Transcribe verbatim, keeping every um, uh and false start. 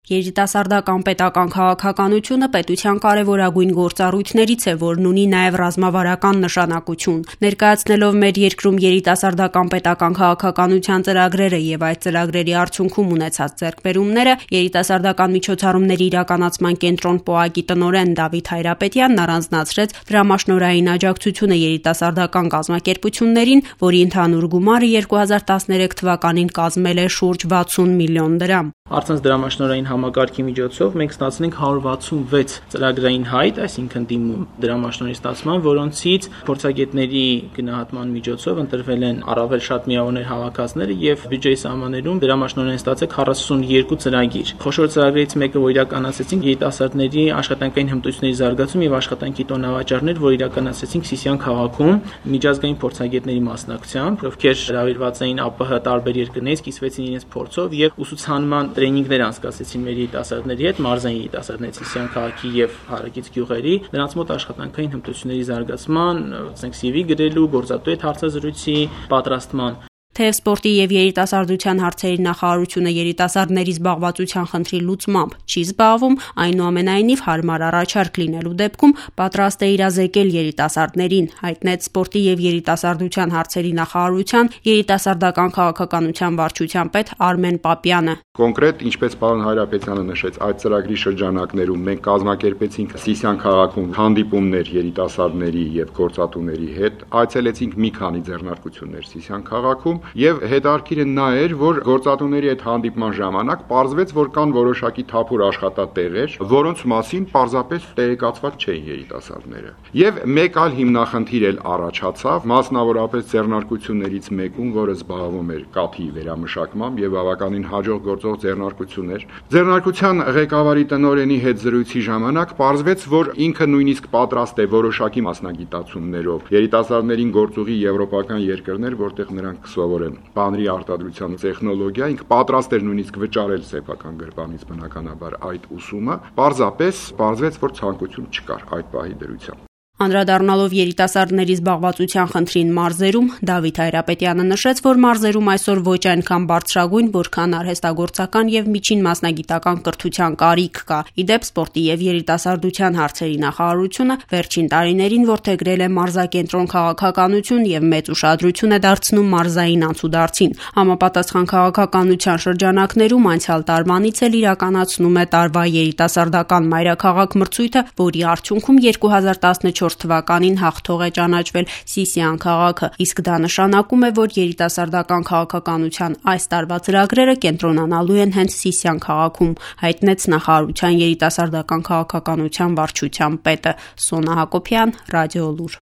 Երիտասարդական պետական քաղաքականությունը պետության կարևորագույն գործառույթներից է, որն ունի նաև ռազմավարական նշանակություն։ Ներկայացնելով մեր երկրում երիտասարդական պետական քաղաքականության ծրագրերը եւ այդ ծրագրերի արդյունքում ունեցած ձեռքբերումները, երիտասարդական միջոցառումների իրականացման կենտրոն ՊՕԱԿ-ի տնօրեն Դավիթ Հայրապետյանն առանձնացրեց դրամաշնորհային աջակցությունը երիտասարդական կազմակերպություններին, որի ընդհանուր գումարը երկու հազար տասներեք թվականին կազմել է շուրջ վաթսուն միլիոն դրամ։ Առցանց դրամաշնորհային համակարգի միջոցով մենք ստացնենք հարյուր վաթսունվեց ծրագրային հայտ, այսինքն դիմում դրամաշնորհի ստացման, որոնցից փորձագետների գնահատման միջոցով ընտրվել են առավել շատ միավորներ հավաքածները եւ բյուջեի սահմաններում դրամաշնորհային ստացել քառասունուերկու ծրագիր։ Խոշոր ծրագրերից մեկը, որ իրականացրեցինք, երիտասարդների աշխատանքային հմտությունների զարգացում եւ աշխատանքի տոնավաճառներ, որ իրականացրեցինք Սիսիան քաղաքում միջազգային փորձագետների մասնակցությամբ, ովքեր հրավիրված էին ԱՊՀ տարբեր երկրներից, կիսվեցին իրենց փորձով եւ ուսուցանման տրեյնինգներ անցկացրեցին մեր երիտասարդների հետ, մարզային երիտասարդների Սիսիան քաղաքի եւ հարակից գյուղերի, նրանց մոտ աշխատանքային հմտությունների զարգացման, ասենք սի վի գրելու, գործատու հետ հարցազրույցի պատրաստման։ Թեև սպորտի եւ երիտասարդության հարցերի նախարարությունը երիտասարդների զբաղվածության խնդրի լուծմամբ չի զբաղվում, այնուամենայնիվ հարմար առաջարկ լինելու դեպքում պատրաստ է իրազեկել երիտասարդներին, հայտնեց սպորտի եւ երիտասարդության հարցերի նախարարության երիտասարդական քաղաքականության վարչության պետ Արմեն Պապյանը։ Կոնկրետ, ինչպես պարոն Հայրապետյանը նշեց, այդ ծրագրի շրջանակներում մենք կազմակերպեցինք Սիսիան քաղաքում հանդիպումներ երիտասարդների եւ գործատուների հետ, այցելեցինք մի քանի ձեռնարկություններ Սիսիան քաղաքում եւ հետարքիրը նա էր, որ գործատուների հետ հանդիպման ժամանակ պարզվեց, որ կան որոշակի թափուր աշխատատեղեր, որոնց մասին պարզապես տեղեկացված չէին երիտասարդները։ Եվ մեկ այլ հիմնախնդիր էլ առաջացավ, մասնավորապես ձեռնարկություններից մեկում, որը զբաղվում էր կաթի վերամշակմամբ եւ բավականին հաջող գործող ձեռնարկություն էր։ Ձեռնարկության ղեկավարի տնօրենի հետ զրույցի ժամանակ պարզվեց, որ ինքը նույնիսկ պատրաստ է որոշակի մասնագիտացումներով երիտասարդներին գործուղի եվրոպական երկրներ, որտեղ նրանք սովորեն բանրի արտադրության տեխնոլոգիա, ինքը պատրաստ էր նույնիսկ վճարել սեփական գրպանից բնականաբար այդ ուսումը, պարզապես պարզվեց, որ ցանկություն չկար այդ պահի դրությամբ։ Անդրադառնալով երիտասարդների զբաղվածության խնդրին մարզերում, Դավիթ Հայրապետյանը նշեց, որ մարզերում այսօր ոչ այնքան բարձրագույն, որքան արհեստագործական եւ միջին մասնագիտական կրթության կարիք կա։ Իդեպ սպորտի եւ երիտասարդության հարցերի նախարարությունը վերջին տարիներին որդեգրել է մարզակենտրոն քաղաքականություն եւ մեծ ուշադրություն է դարձնում մարզային անցուդարձին։ Համապատասխան քաղաքականության շրջանակներում անցյալ տարվանից էլ իրականացնում է տարվա երիտասարդական մայրաքաղաք մրցույթը, որի արդյունքում երկու հազար տասնչորս թվականին հաղթող է ճանաչվել Սիսիան քաղաքը, իսկ դա նշանակում է, որ երիտասարդական քաղաքականության այս տարվա ծրագրերը կենտրոնանալու են հենց Սիսիան քաղաքում, հայտնեց նախարարության երիտասարդական քաղաքականության վարչության պետը Սոնա Հակոբյան, Ռադիոլուր։